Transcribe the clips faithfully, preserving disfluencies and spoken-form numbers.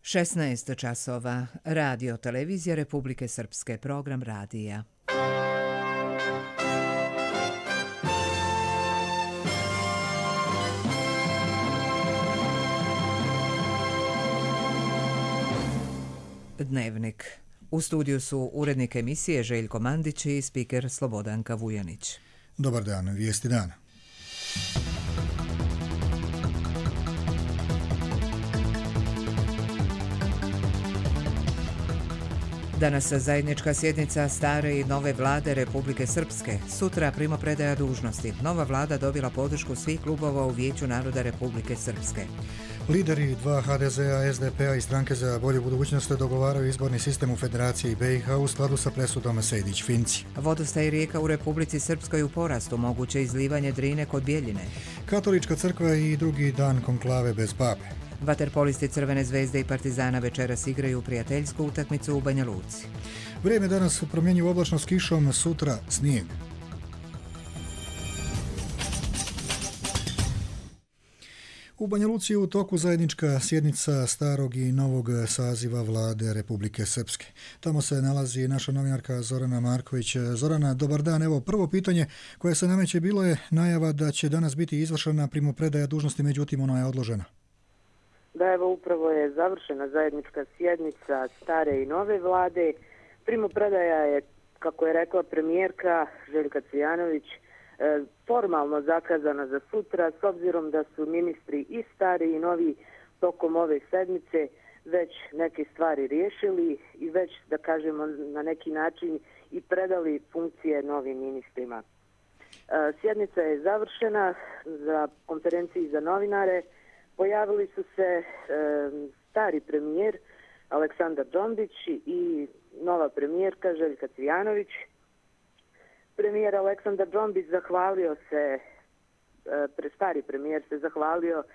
šesnaest časova. Radio Televizija Republike Srpske. Program radija. Dnevnik. U studiju su urednik emisije Željko Mandić i spiker Slobodanka Vujanić. Dobar dan, vijesti dana. Danas zajednička sjednica stare i nove vlade Republike Srpske. Sutra primopredaja dužnosti. Nova vlada dobila podršku svih klubova u Vijeću naroda Republike Srpske. Lideri dva ha de zea, es de pe a i Stranke za bolju budućnost dogovaraju izborni sistem u Federaciji be i ha u skladu sa presudom Sejdić-Finci. Vodostaj rijeka u Republici Srpskoj u porastu, moguće izlivanje Drine kod Bjeljine. Katolička crkva i drugi dan konklave bez pape. Vaterpolisti Crvene zvezde i Partizana večeras igraju prijateljsku utakmicu u Banja Luci. Vrijeme danas promjenjivo oblačno s kišom, sutra snijeg. U Banja Luci je u toku zajednička sjednica starog i novog saziva vlade Republike Srpske. Tamo se nalazi naša novinarka Zorana Marković. Zorana, dobar dan. Evo, prvo pitanje koje se nameće bilo je najava da će danas biti izvršena primopredaja dužnosti, međutim ona je odložena. Da, evo upravo je završena zajednička sjednica stare i nove vlade. Primopredaja je, kako je rekla premijerka Željka Cvijanović, formalno zakazana za sutra, s obzirom da su ministri i stari i novi tokom ove sedmice već neke stvari riješili i već, da kažemo, na neki način i predali funkcije novim ministrima. Sjednica je završena. Za konferenciji za novinare pojavili su se e, stari premijer Aleksandar Džombić i nova premijerka Željka Cvijanović. Premijer Aleksandar Džombić zahvalio se, pre stari premijer se zahvalio e,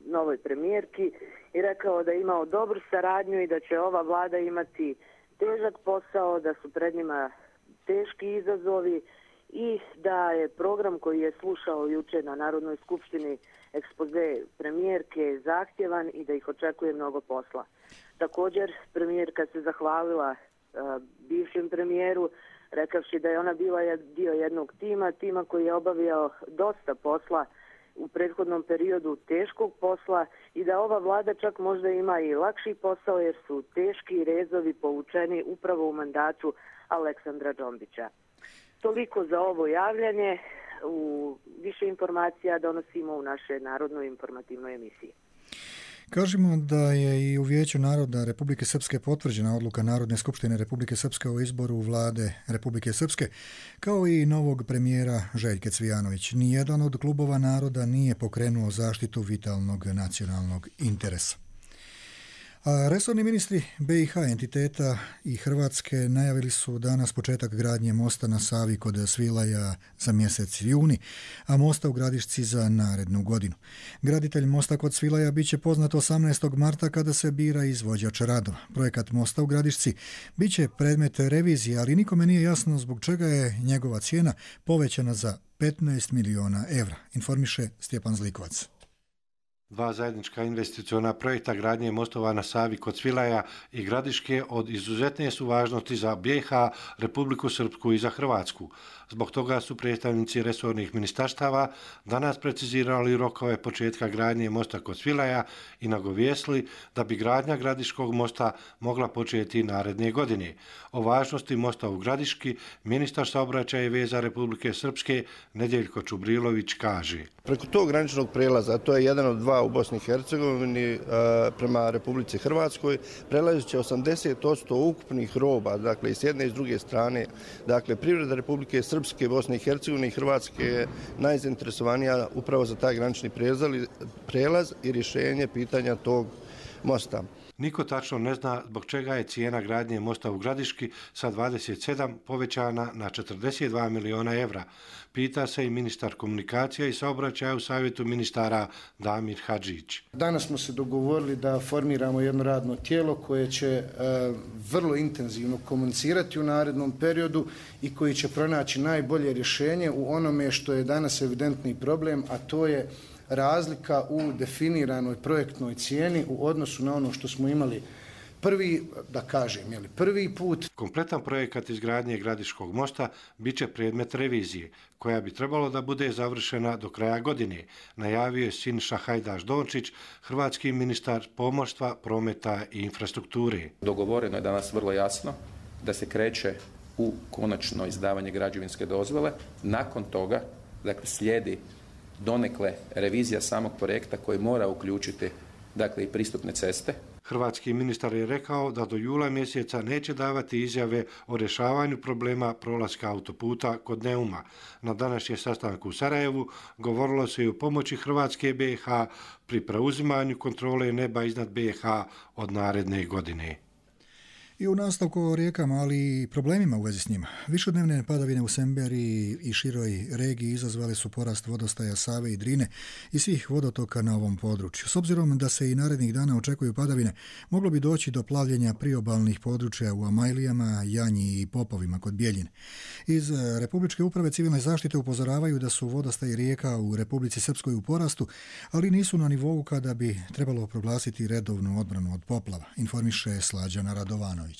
novoj premijerki i rekao da je imao dobru saradnju i da će ova vlada imati težak posao, da su pred njima teški izazovi i da je program koji je slušao juče na Narodnoj skupštini ekspoze premijerke zahtjevan i da ih očekuje mnogo posla. Također, premijerka se zahvalila uh, bivšem premijeru, rekavši da je ona bila dio jednog tima, tima koji je obavljao dosta posla u prethodnom periodu, teškog posla, i da ova vlada čak možda ima i lakši posao jer su teški rezovi povučeni upravo u mandatu Aleksandra Džombića. Toliko za ovo javljanje. U više informacija donosimo u našoj narodnoj informativnoj emisiji. Kažemo da je i u Vijeću naroda Republike Srpske potvrđena odluka Narodne skupštine Republike Srpske o izboru vlade Republike Srpske, kao i novog premijera Željke Cvijanović. Nijedan od klubova naroda nije pokrenuo zaštitu vitalnog nacionalnog interesa. A resorni ministri be i ha entiteta i Hrvatske najavili su danas početak gradnje mosta na Savi kod Svilaja za mjesec juni, a mosta u Gradišci za narednu godinu. Graditelj mosta kod Svilaja bit će poznat osamnaestog marta kada se bira izvođač radova. Projekat mosta u Gradišci bit će predmet revizije, ali nikome nije jasno zbog čega je njegova cijena povećana za petnaest miliona evra, informiše Stjepan Zlikovac. Dva zajednička investiciona projekta gradnje mostova na Savi kod Svilaja i Gradiške od izuzetne su važnosti za be i ha, Republiku Srpsku i za Hrvatsku. Zbog toga su predstavnici resornih ministarstava danas precizirali rokove početka gradnje mosta kod Svilaja i nagovijestili da bi gradnja Gradiškog mosta mogla početi naredne godine. O važnosti mosta u Gradiški ministar saobraćaja i veza Republike Srpske Nedjeljko Čubrilović kaže: Preko tog graničnog prelaza, to je jedan od dva u Bosni i Hercegovini prema Republici Hrvatskoj, prelazi će osamdeset posto ukupnih roba, dakle i s jedne i s druge strane. Dakle, privreda Republike Srpske, Bosne i Hercegovine i Hrvatske je najzainteresovanija upravo za taj granični prelaz i rješenje pitanja tog mosta. Niko tačno ne zna zbog čega je cijena gradnje mosta u Gradiški sa dvadeset sedam povećana na četrdeset dva miliona evra. Pita se i ministar komunikacija i saobraćaja u savjetu ministara Damir Hadžić. Danas smo se dogovorili da formiramo jedno radno tijelo koje će e, vrlo intenzivno komunicirati u narednom periodu i koji će pronaći najbolje rješenje u onome što je danas evidentni problem, a to je razlika u definiranoj projektnoj cijeni u odnosu na ono što smo imali prvi, da kažem, jeli, prvi put. Kompletan projekat izgradnje Gradiškog mosta bit će predmet revizije, koja bi trebalo da bude završena do kraja godine, najavio je Siniša Hajdaš-Dončić, hrvatski ministar pomorstva, prometa i infrastrukture. Dogovoreno je danas vrlo jasno da se kreće u konačno izdavanje građevinske dozvole. Nakon toga, dakle, slijedi donekle revizija samog projekta koji mora uključiti, dakle, i pristupne ceste. Hrvatski ministar je rekao da do jula mjeseca neće davati izjave o rješavanju problema prolaska autoputa kod Neuma. Na današnjem sastanku u Sarajevu govorilo se i o pomoći Hrvatske B i H pri preuzimanju kontrole neba iznad B i H od naredne godine. I u nastavku o rijekama, ali i problemima u vezi s njima. Višednevne padavine u Semberiji i široj regiji izazvale su porast vodostaja Save i Drine i svih vodotoka na ovom području. S obzirom da se i narednih dana očekuju padavine, moglo bi doći do plavljenja priobalnih područja u Amajlijama, Janji i Popovima kod Bijeljine. Iz Republičke uprave civilne zaštite upozoravaju da su vodostaji rijeka u Republici Srpskoj u porastu, ali nisu na nivou kada bi trebalo proglasiti redovnu odbranu od poplava, informiše Slađana Radovanović.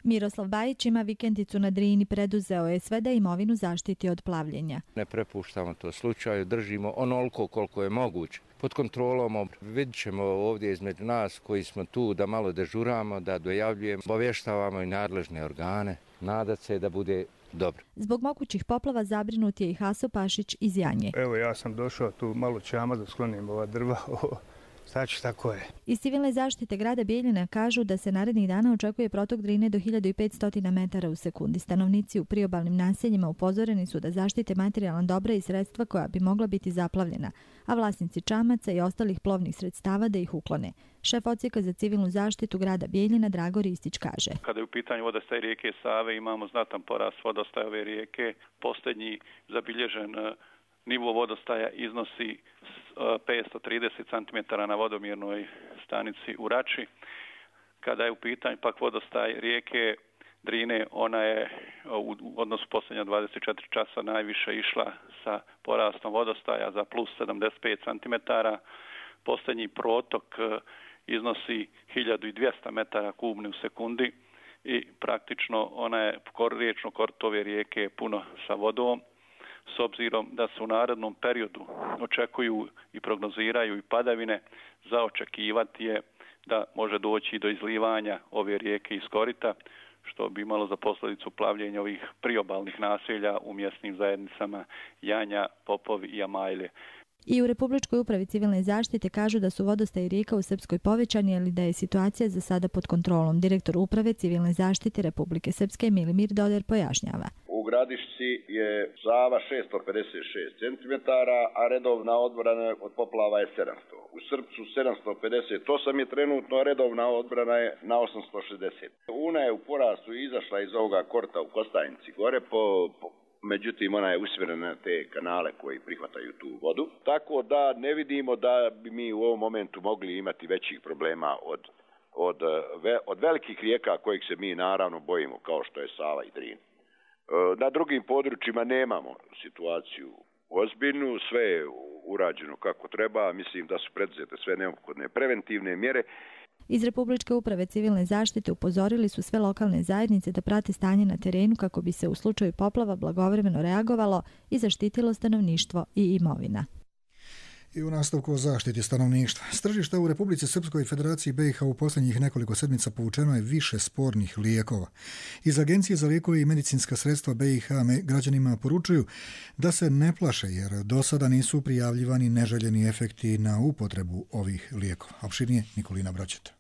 Miroslav Bajić ima vikendicu na Drini, preduzeo je sve da imovinu zaštiti od plavljenja. Ne prepuštamo to slučaju, držimo onoliko koliko je moguće. Pod kontrolom vidjet ćemo ovdje između nas koji smo tu da malo dežuramo, da dojavljujemo, obavještavamo i nadležne organe. Nadat se da bude dobro. Zbog mogućih poplava zabrinut je i Haso Pašić iz Janje. Evo, ja sam došao tu malo čama da sklonim ova drva. Znači, tako je. Iz civilne zaštite grada Bijeljina kažu da se narednih dana očekuje protok Drine do hiljadu petsto metara u sekundi. Stanovnici u priobalnim naseljima upozoreni su da zaštite materijalna dobra i sredstva koja bi mogla biti zaplavljena, a vlasnici čamaca i ostalih plovnih sredstava da ih uklone. Šef odsjeka za civilnu zaštitu grada Bijeljina Drago Ristić kaže. Kada je u pitanju vodostaj rijeke Save imamo znatan porast vodostaja ove rijeke. Posljednji zabilježen nivo vodostaja iznosi petsto trideset centimetara na vodomjernoj stanici u Rači. Kada je u pitanju pak vodostaj rijeke Drine, ona je u odnosu posljednja dvadeset četiri časa najviše išla sa porastom vodostaja za plus sedamdeset pet centimetara. Posljednji protok iznosi hiljadu dvjesto metara kubnih u sekundi i praktično ona je riječno korito ove rijeke puno sa vodom. S obzirom da se u narednom periodu očekuju i prognoziraju i padavine, za očekivati je da može doći do izlivanja ove rijeke iz korita, što bi imalo za posljedicu plavljenja ovih priobalnih naselja u mjesnim zajednicama Janja, Popovi i Amajlje. I u Republičkoj upravi civilne zaštite kažu da su vodostaji rijeka u Srpskoj povećani, ali da je situacija za sada pod kontrolom. Direktor uprave civilne zaštite Republike Srpske Milimir Doder pojašnjava. U Gradišci je Sava šesto pedeset šest centimetara, a redovna odbrana od poplava je sedamsto. U Srpcu sedamsto pedeset osam je trenutno, a redovna odbrana je na osamsto šezdeset. Una je u porastu izašla iz ovoga korta u Kostajnici gore po, po međutim ona je usmjerena na te kanale koji prihvataju tu vodu. Tako da ne vidimo da bi mi u ovom momentu mogli imati većih problema od, od, od velikih rijeka kojih se mi naravno bojimo, kao što je Sava i Drin. Na drugim područjima nemamo situaciju ozbiljnu, sve je urađeno kako treba, mislim da su preduzete sve neophodne preventivne mjere. Iz Republičke uprave civilne zaštite upozorili su sve lokalne zajednice da prate stanje na terenu kako bi se u slučaju poplava blagovremeno reagovalo i zaštitilo stanovništvo i imovina. I u nastavku o zaštiti stanovništva. S tržišta u Republici Srpskoj i Federaciji B i H u posljednjih nekoliko sedmica povučeno je više spornih lijekova. Iz Agencije za lijekove i medicinska sredstva B i H građanima poručuju da se ne plaše jer do sada nisu prijavljivani neželjeni efekti na upotrebu ovih lijekova. Opširnije Nikolina Broćeta.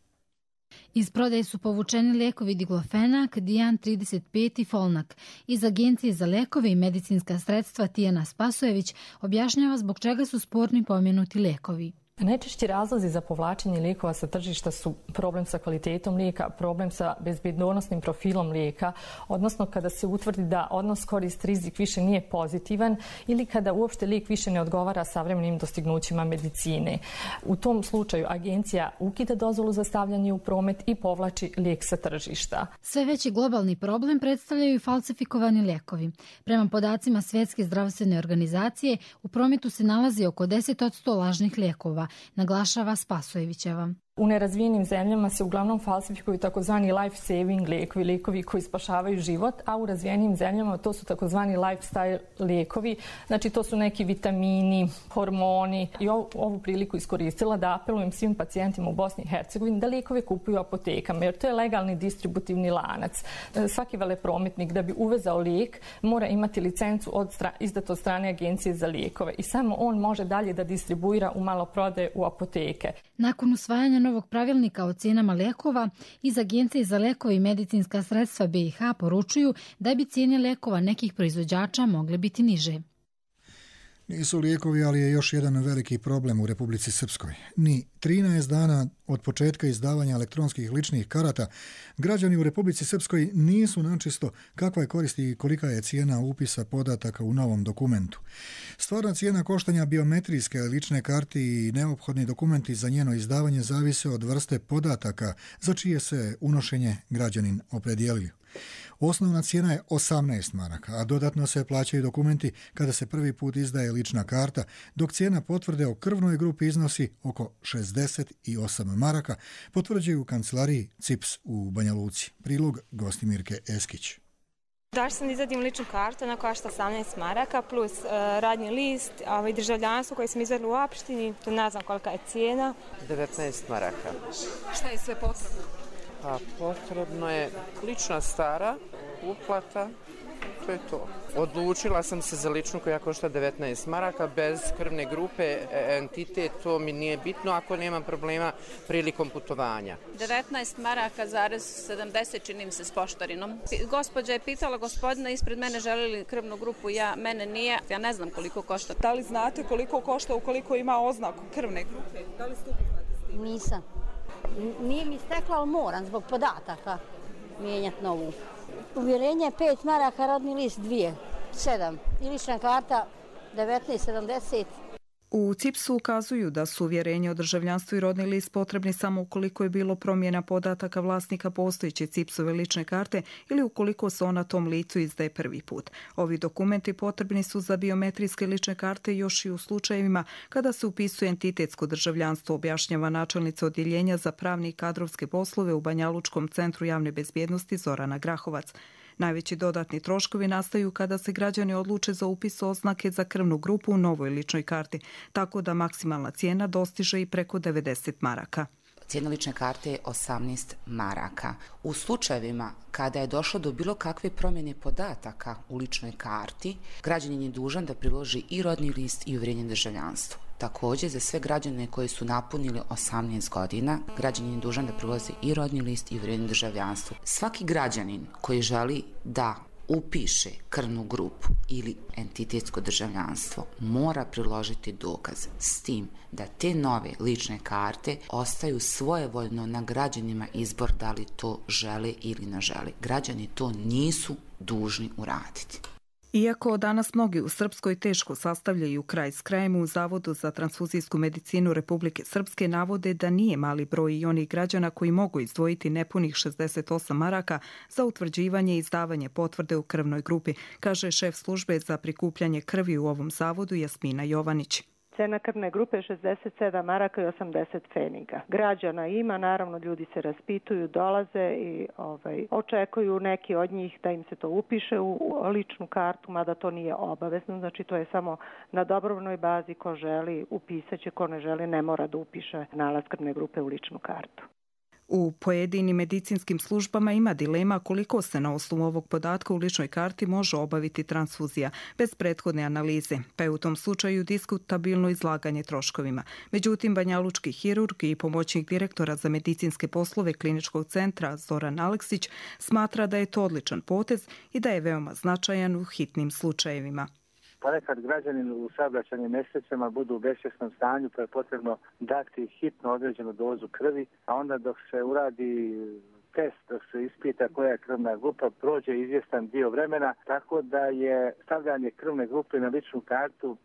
Iz prodaje su povučeni lijekovi Diglofenak, Dijan trideset pet i Folnak. Iz Agencije za lijekove i medicinska sredstva Tijana Spasojević objašnjava zbog čega su sporni pomenuti lijekovi. Najčešći razlozi za povlačenje lijekova sa tržišta su problem sa kvalitetom lijeka, problem sa bezbjednosnim profilom lijeka, odnosno kada se utvrdi da odnos korist-rizik više nije pozitivan ili kada uopšte lijek više ne odgovara savremenim dostignućima medicine. U tom slučaju agencija ukida dozvolu za stavljanje u promet i povlači lijek sa tržišta. Sve veći globalni problem predstavljaju i falsifikovani lijekovi. Prema podacima Svjetske zdravstvene organizacije, u prometu se nalazi oko deset posto lažnih lijekova, naglašava Spasojevićeva. U nerazvijenim zemljama se uglavnom falsifikuju takozvani life saving lijekovi, lijekovi koji spašavaju život, a u razvijenim zemljama to su takozvani lifestyle lijekovi, znači to su neki vitamini, hormoni. I ovu, ovu priliku iskoristila da apelujem svim pacijentima u Bosni i Hercegovini da lijekove kupuju u apotekama, jer to je legalni distributivni lanac. Svaki veleprometnik da bi uvezao lijek mora imati licencu od stra, izdatu od strane agencije za lijekove i samo on može dalje da distribuira u maloprodaje u apoteke. Nakon usvajanja novog pravilnika o cijenama lijekova, iz Agencije za lijekove i medicinska sredstva B i H poručuju da bi cijene lijekova nekih proizvođača mogle biti niže. Nisu lijekovi, ali je još jedan veliki problem u Republici Srpskoj. Ni trinaest dana od početka izdavanja elektronskih ličnih karata, građani u Republici Srpskoj nisu načisto kakva je korist i kolika je cijena upisa podataka u novom dokumentu. Stvarna cijena koštanja biometrijske lične karte i neophodni dokumenti za njeno izdavanje zavise od vrste podataka za čije se unošenje građanin opredjelio. Osnovna cijena je osamnaest maraka, a dodatno se plaćaju dokumenti kada se prvi put izdaje lična karta, dok cijena potvrde o krvnoj grupi iznosi oko šezdeset osam maraka, potvrđuju u kancelariji C I P S u Banja Luci. Prilog Gostimirke Eskić. Da sam izadim ličnu kartu, ona košta osamnaest maraka plus uh, radni list, ovaj, državljanstvo koje sam izvedla u opštini, to ne znam kolika je cijena. devetnaest maraka. Šta je sve potrebno? Pa potrebno je lična stara, uplata, to je to. Odlučila sam se za ličnu koja košta devetnaest maraka, bez krvne grupe, entitet, to mi nije bitno ako nemam problema prilikom putovanja. devetnaest maraka zarez sedamdeset čini mi se s poštarinom. Gospođa je pitala gospodina ispred mene želi li krvnu grupu, ja, mene nije, ja ne znam koliko košta. Da li znate koliko košta ukoliko ima oznaku krvne grupe? Da li ste upoznati s tim? Nisam. Nije mi stekla, ali moram zbog podataka mijenjati novu. Uvjerenje je pet maraka, rodni list dvije, sedam. I lična karta devetnaest sedamdeset. U C I P S-u ukazuju da su uvjerenje o državljanstvu i rodni list potrebni samo ukoliko je bilo promjena podataka vlasnika postojeće C I P S-ove lične karte ili ukoliko se ona tom licu izdaje prvi put. Ovi dokumenti potrebni su za biometrijske lične karte još i u slučajevima kada se upisuje entitetsko državljanstvo, objašnjava načelnica odjeljenja za pravne i kadrovske poslove u Banjalučkom centru javne bezbjednosti Zorana Grahovac. Najveći dodatni troškovi nastaju kada se građani odluče za upis oznake za krvnu grupu u novoj ličnoj karti, tako da maksimalna cijena dostiže i preko devedeset maraka. Cijena lične karte je osamnaest maraka. U slučajevima kada je došlo do bilo kakve promjene podataka u ličnoj karti, građanin je dužan da priloži i rodni list i uvjerenje državljanstva. Također, za sve građane koji su napunili osamnaest godina, građanin je dužan da priloži i rodni list i uvjerenje državljanstva. Svaki građanin koji želi da upiše krvnu grupu ili entitetsko državljanstvo mora priložiti dokaz s tim da te nove lične karte ostaju svojevoljno na građanima izbor da li to žele ili ne žele. Građani to nisu dužni uraditi. Iako danas mnogi u Srpskoj teško sastavljaju kraj s krajem, u Zavodu za transfuzijsku medicinu Republike Srpske navode da nije mali broj i onih građana koji mogu izdvojiti nepunih šezdeset osam maraka za utvrđivanje i izdavanje potvrde u krvnoj grupi, kaže šef službe za prikupljanje krvi u ovom zavodu Jasmina Jovanić. Cena krvne grupe je šezdeset sedam maraka i osamdeset pfeniga. Građana ima, naravno ljudi se raspituju, dolaze i ovaj, očekuju neki od njih da im se to upiše u ličnu kartu, mada to nije obavezno, znači to je samo na dobrovoljnoj bazi, ko želi upisaće, ko ne želi ne mora da upiše nalaz krvne grupe u ličnu kartu. U pojedinim medicinskim službama ima dilema koliko se na osnovu ovog podatka u ličnoj karti može obaviti transfuzija bez prethodne analize, pa je u tom slučaju diskutabilno izlaganje troškovima. Međutim, banjalučki hirurg i pomoćnik direktora za medicinske poslove kliničkog centra Zoran Aleksić smatra da je to odličan potez i da je veoma značajan u hitnim slučajevima. Ponekad građanin u saobraćajnim nesrećama budu u besvjesnom stanju, pa je potrebno dati hitno određenu dozu krvi, a onda dok se uradi test, dok se ispita koja je krvna grupa, prođe izvjestan dio vremena, tako da je stavljanje krvne grupe na ličnu kartu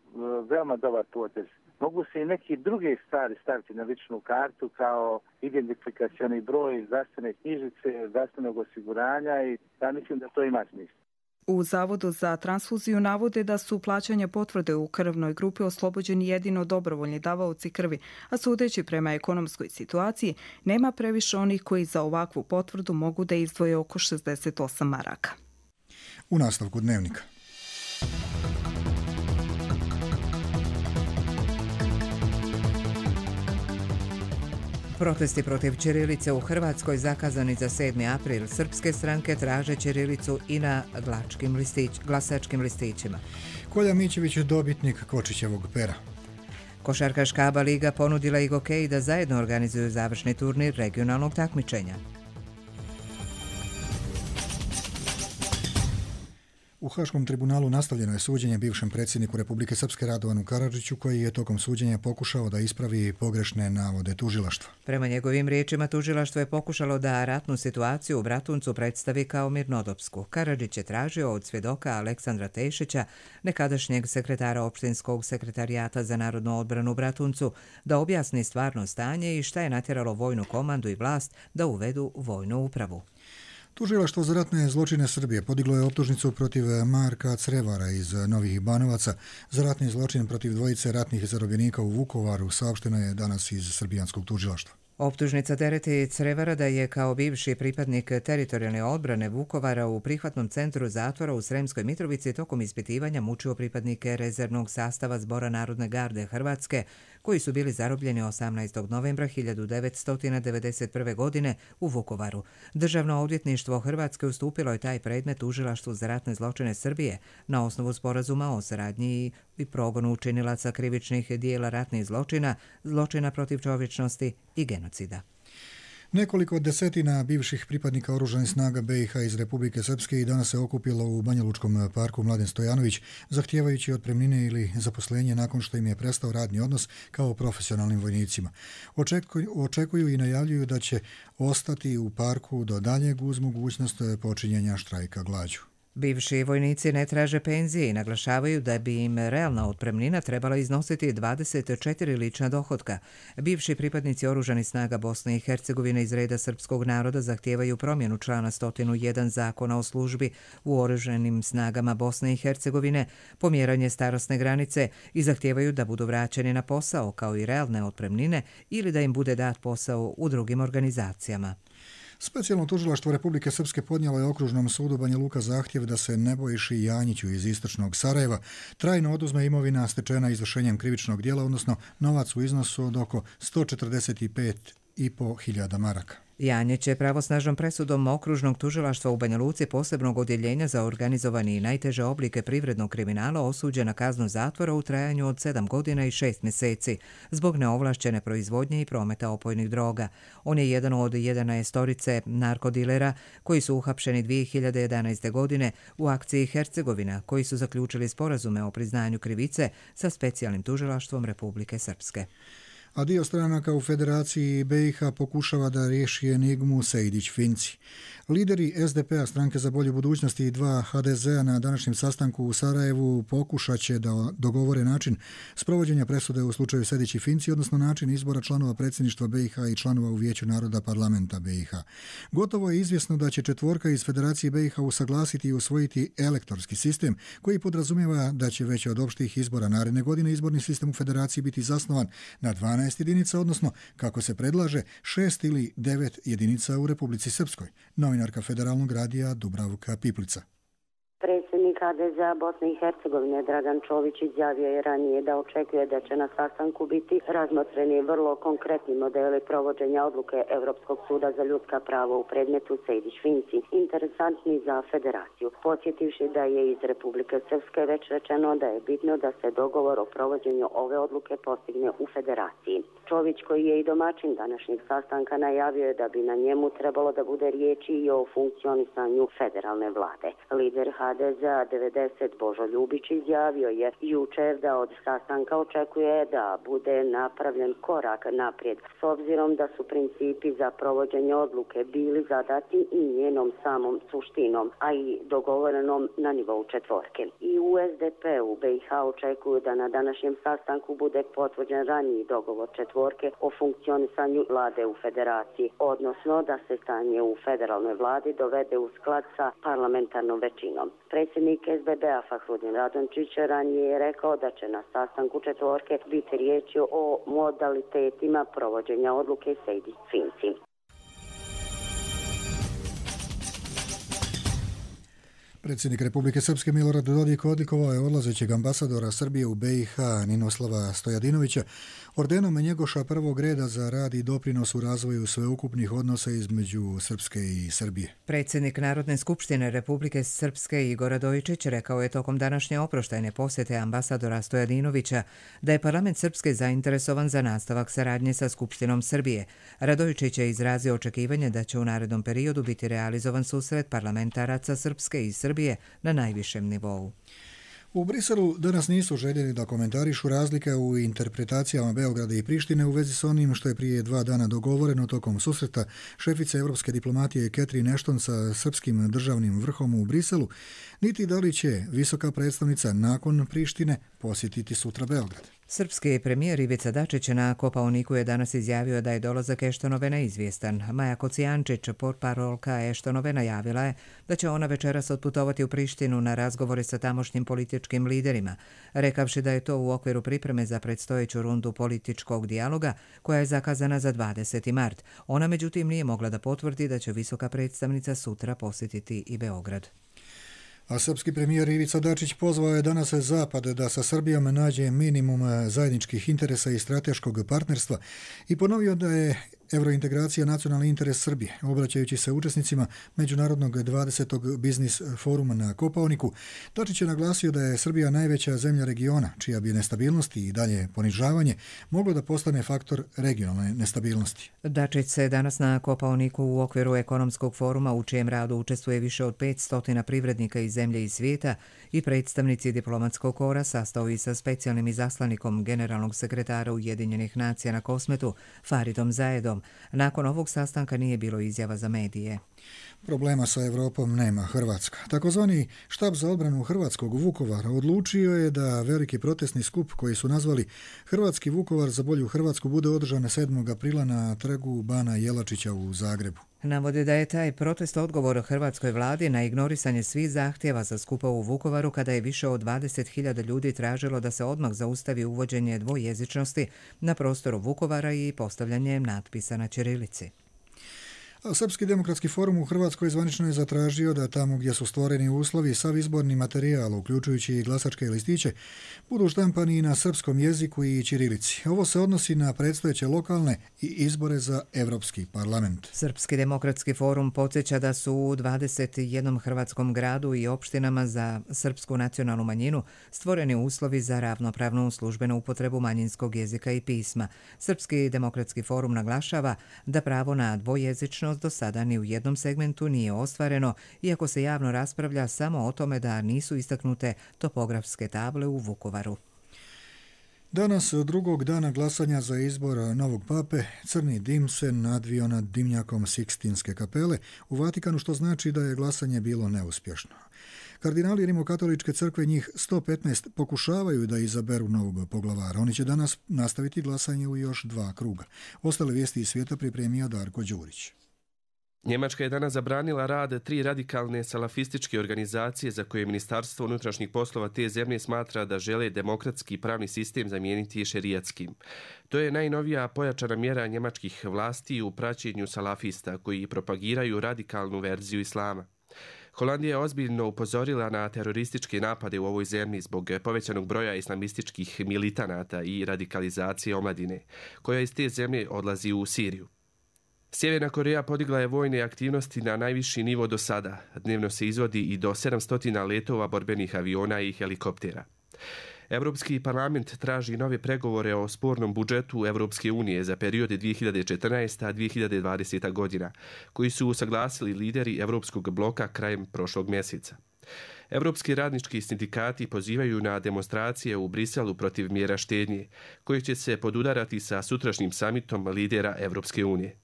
veoma dobar potez. Mogu se i neki druge stvari staviti na ličnu kartu kao identifikacioni broj zdravstvene knjižice, zdravstvenog osiguranja i ja mislim da to ima smisla. U Zavodu za transfuziju navode da su plaćanja potvrde u krvnoj grupi oslobođeni jedino dobrovoljni davaoci krvi, a sudeći prema ekonomskoj situaciji, nema previše onih koji za ovakvu potvrdu mogu da izdvoje oko šezdeset osam maraka. U nastavku dnevnika. Protesti protiv ćirilice u Hrvatskoj zakazani za sedmi april. Srpske stranke traže ćirilicu i na glačkim listić, glasačkim listićima. Kolja Mićević je dobitnik Kočićevog pera. Košarkaška A B A liga ponudila i Gokeji da zajedno organizuju završni turnir regionalnog takmičenja. U Haškom tribunalu nastavljeno je suđenje bivšem predsjedniku Republike Srpske Radovanu Karadžiću, koji je tokom suđenja pokušao da ispravi pogrešne navode tužilaštva. Prema njegovim riječima, tužilaštvo je pokušalo da ratnu situaciju u Bratuncu predstavi kao mirnodopsku. Karadžić je tražio od svjedoka Aleksandra Tešića, nekadašnjeg sekretara opštinskog sekretarijata za narodnu odbranu u Bratuncu, da objasni stvarno stanje i šta je natjeralo vojnu komandu i vlast da uvedu vojnu upravu. Tužilaštvo za ratne zločine Srbije podiglo je optužnicu protiv Marka Crevara iz Novih Banovaca za ratni zločin protiv dvojice ratnih zarobljenika u Vukovaru, saopšteno je danas iz srbijanskog tužilaštva. Optužnica tereti Crevara da je kao bivši pripadnik teritorijalne odbrane Vukovara u prihvatnom centru zatvora u Sremskoj Mitrovici tokom ispitivanja mučio pripadnike rezervnog sastava Zbora Narodne garde Hrvatske, koji su bili zarobljeni osamnaestog novembra hiljadu devetsto devedeset prve. godine u Vukovaru. Državno odvjetništvo Hrvatske ustupilo je taj predmet tužilaštvu za ratne zločine Srbije na osnovu sporazuma o saradnji i progonu učinilaca krivičnih dijela ratnih zločina, zločina protiv čovječnosti i genocida. Nekoliko desetina bivših pripadnika oružanih snaga B i H iz Republike Srpske i danas se okupilo u Banjalučkom parku Mladen Stojanović, zahtijevajući otpremnine ili zaposlenje nakon što im je prestao radni odnos kao profesionalnim vojnicima. Očekuju, očekuju i najavljuju da će ostati u parku do daljeg uz mogućnost počinjenja štrajka glađu. Bivši vojnici ne traže penzije i naglašavaju da bi im realna otpremnina trebala iznositi dvadeset četiri lična dohotka. Bivši pripadnici oružanih snaga Bosne i Hercegovine iz reda srpskog naroda zahtijevaju promjenu člana sto jedan Zakona o službi u oružanim snagama Bosne i Hercegovine, pomjeranje starosne granice i zahtijevaju da budu vraćeni na posao kao i realne otpremnine ili da im bude dat posao u drugim organizacijama. Specijalno tužilaštvo Republike Srpske podnijelo je okružnom sudu Banja Luka zahtjev da se Nebojši Janjiću iz istočnog Sarajeva trajno oduzme imovina stečena izvršenjem krivičnog dijela, odnosno novac u iznosu od oko sto četrdeset pet i po hiljada maraka. Janjić je pravosnažnom presudom okružnog tužilaštva u Banja Luci posebnog odjeljenja za organizovani i najteže oblike privrednog kriminala osuđen na kaznu zatvora u trajanju od sedam godina i šest mjeseci zbog neovlašćene proizvodnje i prometa opojnih droga. On je jedan od jedanaestorice narkodilera koji su uhapšeni dvije hiljade jedanaeste. godine u akciji Hercegovina, koji su zaključili sporazume o priznanju krivice sa specijalnim tužilaštvom Republike Srpske. A dio stranaka u Federaciji B i H pokušava da riješi enigmu Sejdić-Finci. Lideri S D P-a, Stranke za bolju budućnost i dva H D Z-a na današnjem sastanku u Sarajevu pokušat će da dogovore način sprovođenja presude u slučaju Sejdić i Finci, odnosno način izbora članova predsjedništva B i H i članova u Vijeću naroda parlamenta B i H. Gotovo je izvjesno da će četvorka iz Federacije B i H usaglasiti i usvojiti elektorski sistem koji podrazumijeva da će već od opštih izbora naredne godine izborni sistem u Federaciji biti zasnovan na dvanaest jedinica, odnosno, kako se predlaže, šest ili devet jedinica u Republici Srpskoj. Novinarka Federalnog radija Dubravka Piplica. Predsjednik H D Z-a Bosne i Hercegovine Dragan Čović izjavio je ranije da očekuje da će na sastanku biti razmotreni vrlo konkretni modeli provođenja odluke Europskog suda za ljudska prava u predmetu Sejdić-Finci, interesantni za federaciju, podsjetivši da je iz Republike Srpske već rečeno da je bitno da se dogovor o provođenju ove odluke postigne u federaciji. Čović, koji je i domaćin današnjeg sastanka, najavio je da bi na njemu trebalo da bude riječi i o funkcionisanju federalne vlade. Lider H D Z-a devedeset Božo Ljubić izjavio je jučer da od sastanka očekuje da bude napravljen korak naprijed s obzirom da su principi za provođenje odluke bili zadati i njenom samom suštinom, a i dogovorenom na nivou četvorke. I u es de pe u be i ha očekuju da na današnjem sastanku bude potvrđen raniji dogovor četvorke o funkcionisanju vlade u federaciji, odnosno da se stanje u federalnoj vladi dovede u sklad sa parlamentarnom većinom. Predsjednik es be be a Fahrudin Radončić ranije je rekao da će na sastanku četvorke biti riječi o modalitetima provođenja odluke Sejdić-Finci. Predsjednik Republike Srpske Milorad Dodik odlikovao je odlazećeg ambasadora Srbije u be i ha Ninoslava Stojadinovića ordenom Njegoša prvog reda za rad i doprinos u razvoju sveukupnih odnosa između Srpske i Srbije. Predsjednik Narodne skupštine Republike Srpske Igor Radojičić rekao je tokom današnje oproštajne posjete ambasadora Stojadinovića da je parlament Srpske zainteresovan za nastavak saradnje sa Skupštinom Srbije. Radojičić je izrazio očekivanje da će u narednom periodu biti realizovan susret parlamentaraca Srpske i Srbije na najvišem nivou. U Briselu danas nisu željeli da komentarišu razlike u interpretacijama Beograda i Prištine u vezi s onim što je prije dva dana dogovoreno tokom susreta šefice evropske diplomatije Catherine Ashton sa srpskim državnim vrhom u Briselu, niti da li će visoka predstavnica nakon Prištine posjetiti sutra Beograd. Srpski premijer Ivica Dačić na Kopaoniku je danas izjavio da je dolazak Eštonove neizvjestan. Maja Kocijančić, portparolka Eštonove, najavila je da će ona večeras otputovati u Prištinu na razgovore sa tamošnjim političkim liderima, rekavši da je to u okviru pripreme za predstojeću rundu političkog dijaloga koja je zakazana za dvadeseti mart. Ona međutim nije mogla da potvrdi da će visoka predstavnica sutra posjetiti i Beograd. A srpski premijer Ivica Dačić pozvao je danas Zapad da sa Srbijom nađe minimum zajedničkih interesa i strateškog partnerstva i ponovio da je evrointegracija nacionalni interes Srbije. Obraćajući se učesnicima Međunarodnog dvadesetog biznis foruma na Kopaoniku, Dačić je naglasio da je Srbija najveća zemlja regiona, čija bi nestabilnost i dalje ponižavanje moglo da postane faktor regionalne nestabilnosti. Dačić se danas na Kopaoniku u okviru ekonomskog foruma, u čijem radu učestvuje više od petsto privrednika iz zemlje i svijeta, i predstavnici diplomatskog kora, sastao i sa specijalnim izaslanikom generalnog sekretara Ujedinjenih nacija na Kosmetu, Faridom Zaedom. Nakon ovog sastanka nije bilo izjava za medije. Problema sa Evropom nema Hrvatska. Takozvani štab za odbranu hrvatskog Vukovara odlučio je da veliki protestni skup koji su nazvali Hrvatski Vukovar za bolju Hrvatsku bude održan sedmog aprila na trgu Bana Jelačića u Zagrebu. Navode da je taj protest odgovor hrvatskoj vladi na ignorisanje svih zahtjeva za skupa u Vukovaru, kada je više od dvadeset hiljada ljudi tražilo da se odmah zaustavi uvođenje dvojezičnosti na prostoru Vukovara i postavljanje natpisa na ćirilici. A Srpski demokratski forum u Hrvatskoj zvanično je zatražio da tamo gdje su stvoreni uslovi sav izborni materijal, uključujući i glasačke listiće, budu štampani na srpskom jeziku i ćirilici. Ovo se odnosi na predstojeće lokalne i izbore za Evropski parlament. Srpski demokratski forum podsjeća da su u dvadeset jednom hrvatskom gradu i opštinama za srpsku nacionalnu manjinu stvoreni uslovi za ravnopravnu službenu upotrebu manjinskog jezika i pisma. Srpski demokratski forum naglašava da pravo na dvojezičnost do sada ni u jednom segmentu nije ostvareno, iako se javno raspravlja samo o tome da nisu istaknute topografske table u Vukovaru. Danas, drugog dana glasanja za izbor novog pape, crni dim se nadvio nad dimnjakom Sikstinske kapele u Vatikanu, što znači da je glasanje bilo neuspješno. Kardinali Rimokatoličke crkve, njih sto petnaest, pokušavaju da izaberu novog poglavara. Oni će danas nastaviti glasanje u još dva kruga. Ostale vijesti iz svijeta pripremio Darko Đurić. Njemačka je danas zabranila rad tri radikalne salafističke organizacije za koje Ministarstvo unutrašnjih poslova te zemlje smatra da žele demokratski pravni sistem zamijeniti šerijatskim. To je najnovija pojačana mjera njemačkih vlasti u praćenju salafista koji propagiraju radikalnu verziju islama. Holandija je ozbiljno upozorila na terorističke napade u ovoj zemlji zbog povećanog broja islamističkih militanata i radikalizacije omladine, koja iz te zemlje odlazi u Siriju. Sjeverna Koreja podigla je vojne aktivnosti na najviši nivo do sada. Dnevno se izvodi i do sedamsto letova borbenih aviona i helikoptera. Europski parlament traži nove pregovore o spornom budžetu Evropske unije za periode dvije hiljade četrnaesta do dvije hiljade dvadesete. godina, koji su usaglasili lideri Evropskog bloka krajem prošlog mjeseca. Evropski radnički sindikati pozivaju na demonstracije u Briselu protiv mjera štednje, koje će se podudarati sa sutrašnjim samitom lidera Evropske unije.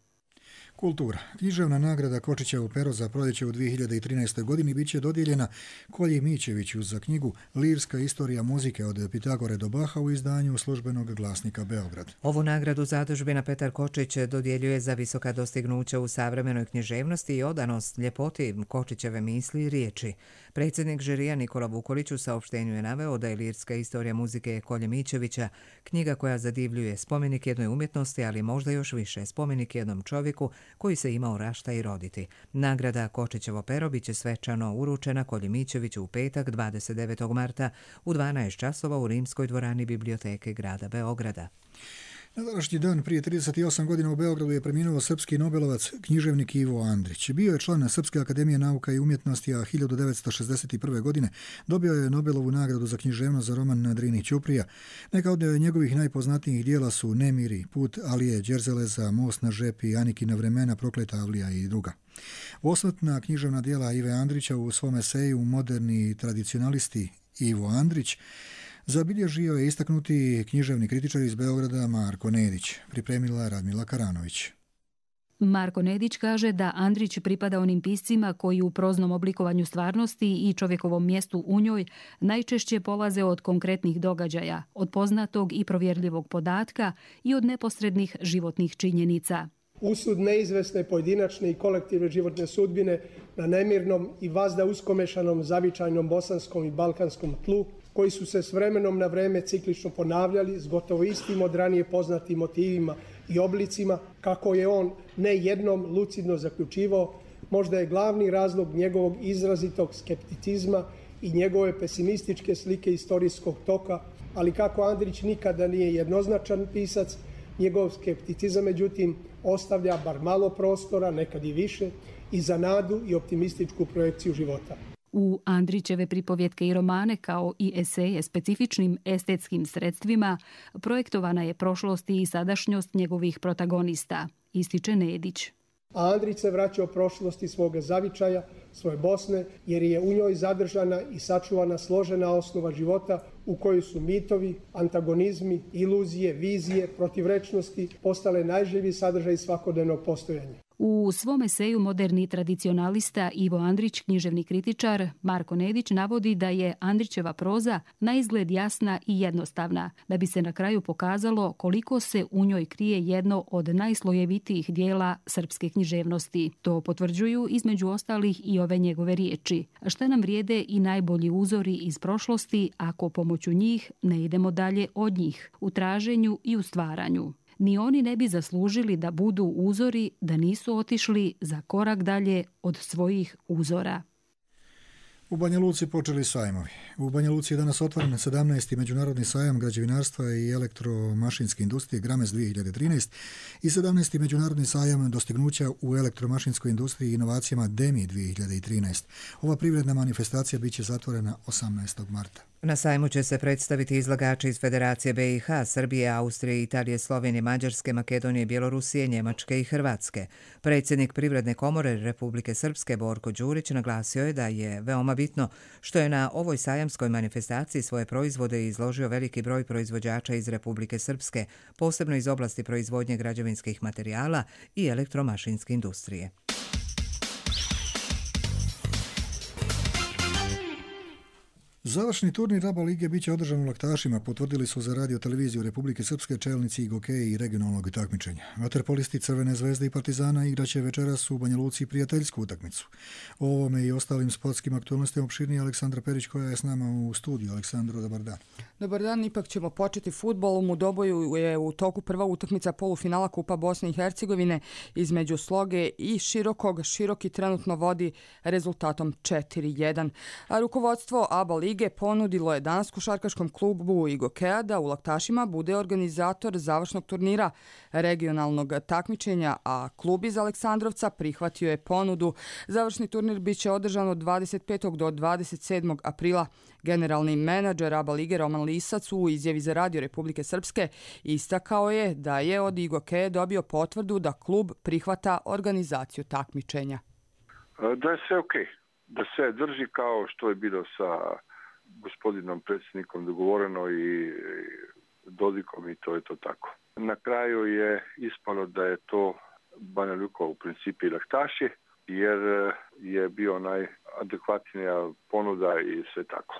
Kultura. Književna nagrada Kočićevo pero za proljeće u dvije hiljade trinaestoj. godini bit će dodijeljena Kolji Mićeviću za knjigu Lirska istorija muzike od Pitagore do Baha u izdanju Službenog glasnika Beograd. Ovu nagradu zadužbina Petar Kočić dodjeljuje za visoka dostignuća u savremenoj književnosti i odanost ljepoti Kočićeve misli i riječi. Predsjednik žirija Nikola Vukolić u saopštenju je naveo da je Lirska istorija muzike Kolje Mićevića knjiga koja zadivljuje, spomenik jednoj umjetnosti, ali možda još više spomenik jednom čovjeku koji se imao rašta i roditi. Nagrada Kočićevo pero bit će svečano uručena Kolji Mićeviću u petak dvadeset devetog marta u dvanaest časova u Rimskoj dvorani Biblioteke grada Beograda. Na današnji dan prije trideset osam godina u Beogradu je preminuo srpski nobelovac, književnik Ivo Andrić. Bio je član Srpske akademije nauka i umjetnosti, a hiljadu devetsto šezdeset prve. godine dobio je Nobelovu nagradu za književnost za roman Na Drini Ćuprija. Neka od njegovih najpoznatijih dijela su Nemiri, Put Alije Đerzeleza, Most na žepi, Anikina vremena, Prokleta Avlija i druga. Osvrtna književna dijela Ive Andrića u svom eseju Moderni tradicionalisti Ivo Andrić zabilježio je istaknuti književni kritičar iz Beograda Marko Nedić, pripremila Radmila Karanović. Marko Nedić kaže da Andrić pripada onim piscima koji u proznom oblikovanju stvarnosti i čovjekovom mjestu u njoj najčešće polaze od konkretnih događaja, od poznatog i provjerljivog podatka i od neposrednih životnih činjenica. Usud neizvesne pojedinačne i kolektivne životne sudbine na nemirnom i vazda uskomešanom zavičajnom bosanskom i balkanskom tlu, koji su se s vremenom na vreme ciklično ponavljali s gotovo istim od ranije poznatim motivima i oblicima, kako je on ne jednom lucidno zaključivao, možda je glavni razlog njegovog izrazitog skepticizma i njegove pesimističke slike istorijskog toka, ali kako Andrić nikada nije jednoznačan pisac, njegov skepticizam, međutim, ostavlja bar malo prostora, nekad i više, i za nadu i optimističku projekciju života. U Andrićeve pripovjetke i romane, kao i eseje specifičnim estetskim sredstvima, projektovana je prošlost i sadašnjost njegovih protagonista, ističe Nedić. A Andrić se vraća o prošlosti svoga zavičaja, svoje Bosne, jer je u njoj zadržana i sačuvana složena osnova života u kojoj su mitovi, antagonizmi, iluzije, vizije, protivrečnosti postale najživiji sadržaj svakodnevnog postojanja. U svom eseju Moderni tradicionalista Ivo Andrić, književni kritičar, Marko Nedić navodi da je Andrićeva proza naizgled jasna i jednostavna, da bi se na kraju pokazalo koliko se u njoj krije jedno od najslojevitijih dijela srpske književnosti. To potvrđuju između ostalih i ove njegove riječi. Šta nam vrijede i najbolji uzori iz prošlosti ako pomoću njih ne idemo dalje od njih, u traženju i u stvaranju. Ni oni ne bi zaslužili da budu uzori da nisu otišli za korak dalje od svojih uzora. U Banja Luci počeli sajmovi. U Banja Luci je danas otvoren sedamnaesti međunarodni sajam građevinarstva i elektromašinske industrije Grames dvije hiljade trinaest i sedamnaesti međunarodni sajam dostignuća u elektromašinskoj industriji i inovacijama Demi dvije hiljade trinaest. Ova privredna manifestacija bit će zatvorena osamnaestog marta. Na sajmu će se predstaviti izlagači iz Federacije B i H, Srbije, Austrije, Italije, Slovenije, Mađarske, Makedonije, Bjelorusije, Njemačke i Hrvatske. Predsjednik Privredne komore Republike Srpske Borko Đurić naglasio je da je veoma bitno što je na ovoj sajamskoj manifestaciji svoje proizvode izložio veliki broj proizvođača iz Republike Srpske, posebno iz oblasti proizvodnje građevinskih materijala i elektromašinske industrije. Završni turnir ABA lige biće održan u Laktašima, potvrdili su za radio televiziju Republike Srpske čelnici Gokeji i regionalnog takmičenja. Vaterpolisti Crvene zvezde i Partizana igraće večeras u Banja Luci prijateljsku utakmicu. O ovome i ostalim sportskim aktualnostima opširnije Aleksandra Perić koja je s nama u studiju. Aleksandro, dobar dan. Dobar dan, ipak ćemo početi futbolom. U Doboju je u toku prva utakmica polufinala Kupa Bosne i Hercegovine između Sloge i Širokog. Široki trenutno vodi rezultatom četiri jedan. A rukovodstvo ABA lige ponudilo je danas košarkaškom klubu Igokeja da u Laktašima bude organizator završnog turnira regionalnog takmičenja, a klub iz Aleksandrovca prihvatio je ponudu. Završni turnir biće održan od dvadeset petog do dvadeset sedmog aprila. Generalni menadžer ABA lige Roman Lisac u izjavi za radio Republike Srpske istakao je da je od Igokeja dobio potvrdu da klub prihvata organizaciju takmičenja. Da je sve okej. da sve drži kao što je bilo sa gospodinom predsjednikom dogovoreno i Dodikom i to je to tako. Na kraju je ispalo da je to Banja Luka u principu i Laktaši, jer je bio najadekvatnija ponuda i sve tako.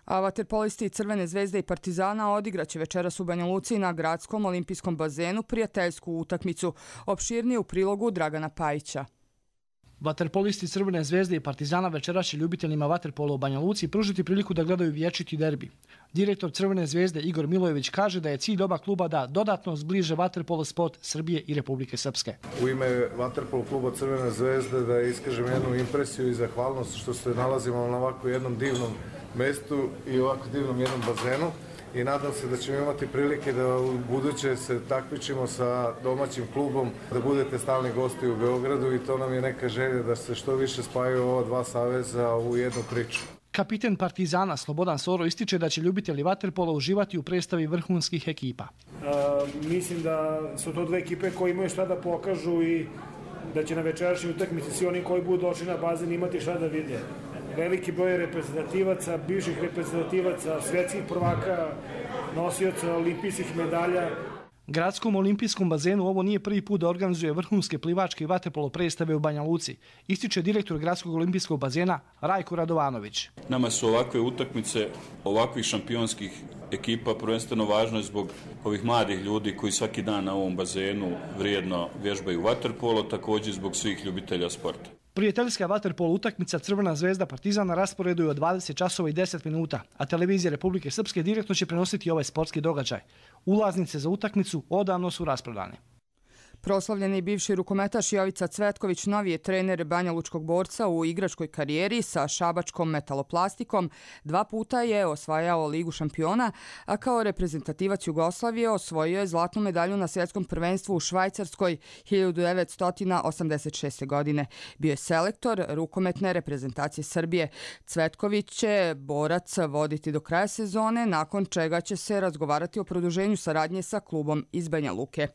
A vaterpolisti Crvene zvezde i Partizana odigraće večeras u Banja Luci na gradskom olimpijskom bazenu prijateljsku utakmicu. Opširnije u prilogu Dragana Pajića. Vaterpolisti Crvene zvezde i Partizana večeras će ljubiteljima vaterpola u Banja Luci pružiti priliku da gledaju vječiti derbi. Direktor Crvene zvezde Igor Milojević kaže da je cilj oba kluba da dodatno zbliže vaterpolo sport Srbije i Republike Srpske. U ime vaterpolo kluba Crvene zvezde da iskažem jednu impresiju i zahvalnost što se nalazimo na ovako jednom divnom mestu i ovako divnom jednom bazenu. I nadam se da ćemo imati prilike da u buduće se takmičimo sa domaćim klubom, da budete stalni gosti u Beogradu i to nam je neka želja da se što više spajaju ova dva saveza u jednu priču. Kapiten Partizana Slobodan Soro ističe da će ljubitelji vaterpola uživati u predstavi vrhunskih ekipa. A, mislim da su to dve ekipe koje imaju šta da pokažu i da će na večerašnjoj utakmici svi oni koji budu došli na bazen imati šta da vide. Veliki broj reprezentativaca, bivših reprezentativaca, svetskih prvaka, nosioca olimpijskih medalja. Gradskom olimpijskom bazenu ovo nije prvi put da organizuje vrhunske plivačke i vaterpolo predstave u Banja Luci, ističe direktor Gradskog olimpijskog bazena Rajko Radovanović. Nama su ovakve utakmice, ovakvih šampionskih ekipa prvenstveno važno zbog ovih mladih ljudi koji svaki dan na ovom bazenu vrijedno vježbaju vaterpolo, također zbog svih ljubitelja sporta. Prijateljska vaterpolo utakmica Crvena zvezda Partizan na rasporedu je od dvadeset časova i deset minuta, a televizija Republike Srpske direktno će prenositi ovaj sportski događaj. Ulaznice za utakmicu odavno su rasprodane. Proslavljeni bivši rukometaš Jovica Cvetković novi je trener Banja Lučkog borca u igračkoj karijeri sa šabačkom metaloplastikom. Dva puta je osvajao Ligu šampiona, a kao reprezentativac Jugoslavije osvojio je zlatnu medalju na svjetskom prvenstvu u Švajcarskoj hiljadu devetsto osamdeset šeste. godine. Bio je selektor rukometne reprezentacije Srbije. Cvetković će borac voditi do kraja sezone, nakon čega će se razgovarati o produženju saradnje sa klubom iz Banja Luke.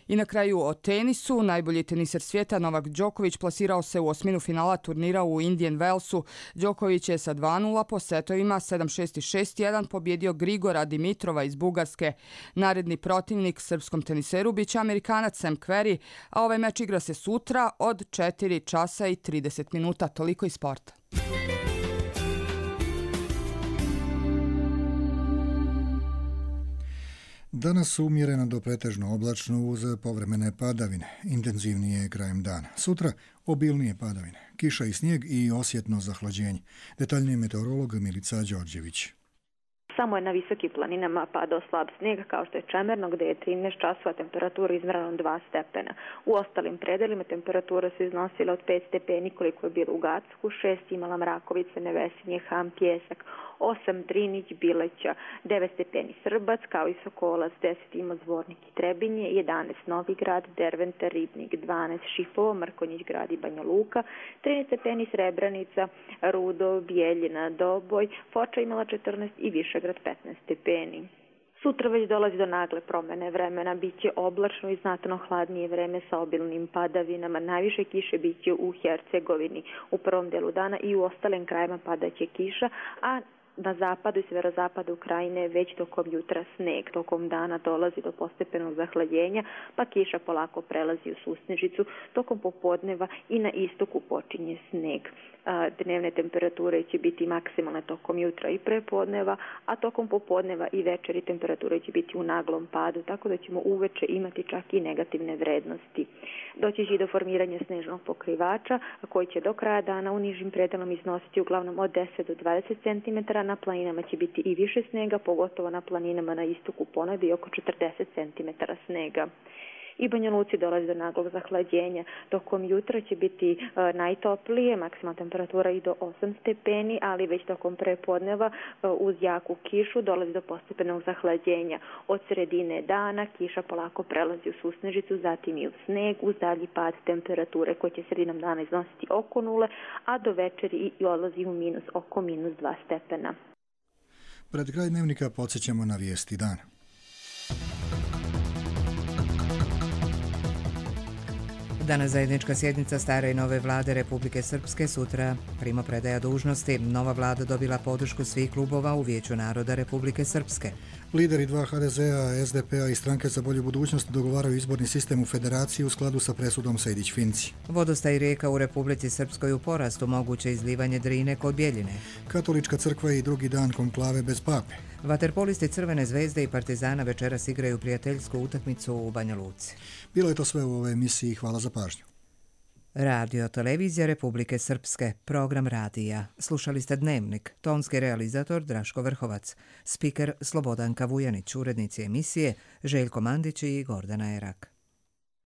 I na kraju o tenisu, najbolji teniser svijeta Novak Đoković plasirao se u osminu finala turnira u Indian Wellsu. Đoković je sa dva nula po setovima sedam šest i šest jedan pobjedio Grigora Dimitrova iz Bugarske. Naredni protivnik srpskom teniseru biće Amerikanac Sam Querrey, a ovaj meč igra se sutra od četiri časa i trideset minuta. Toliko iz sporta. Danas umjereno do pretežno oblačno uz povremene padavine, intenzivnije krajem dana. Sutra obilnije padavine, kiša i snijeg i osjetno zahlađenje. Detaljnije meteorolog Milica Đorđević. Samo je na visokim planinama padao slab snijeg, kao što je Čemerno, gdje je trinaest časova temperatura izmjerena dva stepena. U ostalim predelima temperatura se iznosila od pet stepeni koliko je bilo u Gacku, šest imala Mrakovica, Nevesinje, Ham, Pjesak, osam Drinić, Bileća, devet stepeni Srbac, kao i Sokolac, deset ima Zvornik i Trebinje, jedanaest Novigrad, Derventa, Ribnik, dvanaest Šipovo, Mrkonjić grad i Banja Luka, trinaest stepeni Srebranica, Rudo, Bijeljina, Doboj, Foča imala četrnaest i Višegrad petnaest stepeni. Sutra već dolazi do nagle promjene vremena, bit će oblačno i znatno hladnije vreme sa obilnim padavinama. Najviše kiše bit će u Hercegovini u prvom delu dana i u ostalim krajima padaće kiša, a na zapadu i sjeverozapadu Ukrajine već tokom jutra sneg. Tokom dana dolazi do postepenog zahlađenja, pa kiša polako prelazi u susnežicu. Tokom popodneva i na istoku počinje sneg. Dnevne temperature će biti maksimalne tokom jutra i prepodneva, a tokom popodneva i večeri temperature će biti u naglom padu, tako da ćemo uveče imati čak i negativne vrednosti. Doći će i do formiranja snežnog pokrivača, koji će do kraja dana u nižim predelom iznositi uglavnom od deset do dvadeset centimetara. Na planinama će biti i više snega, pogotovo na planinama na istoku ponegdje i oko četrdeset centimetara snega. I Banja Luci dolazi do naglog zahlađenja. Tokom jutra će biti e, najtoplije, maksimalna temperatura i do osam stepeni, ali već tokom prepodneva e, uz jaku kišu dolazi do postepenog zahlađenja. Od sredine dana kiša polako prelazi u susnežicu, zatim i u sneg, uz dalji pad temperature koje će sredinom dana iznositi oko nule, a do večeri i odlazi u minus oko minus dva stepena. Pred kraj dnevnika podsjećamo na vijesti dana. Danas zajednička sjednica stare i nove vlade Republike Srpske, sutra primopredaja dužnosti. Nova vlada dobila podršku svih klubova u Vijeću naroda Republike Srpske. Lideri dva ha de zea, es de pe a i Stranke za bolju budućnost dogovaraju izborni sistem u federaciji u skladu sa presudom Sejdić-Finci. Vodostaj rijeka u Republici Srpskoj u porastu, moguće izlivanje Drine kod Bjeljine. Katolička crkva i drugi dan konklave bez pape. Vaterpolisti Crvene zvezde i Partizana večeras igraju prijateljsku utakmicu u Banja Luci. Bilo je to sve u ovoj emisiji. Hvala za pažnju. Radio Televizija Republike Srpske, program radija. Slušali ste Dnevnik, tonski realizator Draško Vrhovac, spiker Slobodanka Vujanić, urednici emisije Željko Mandić i Gordana Erak.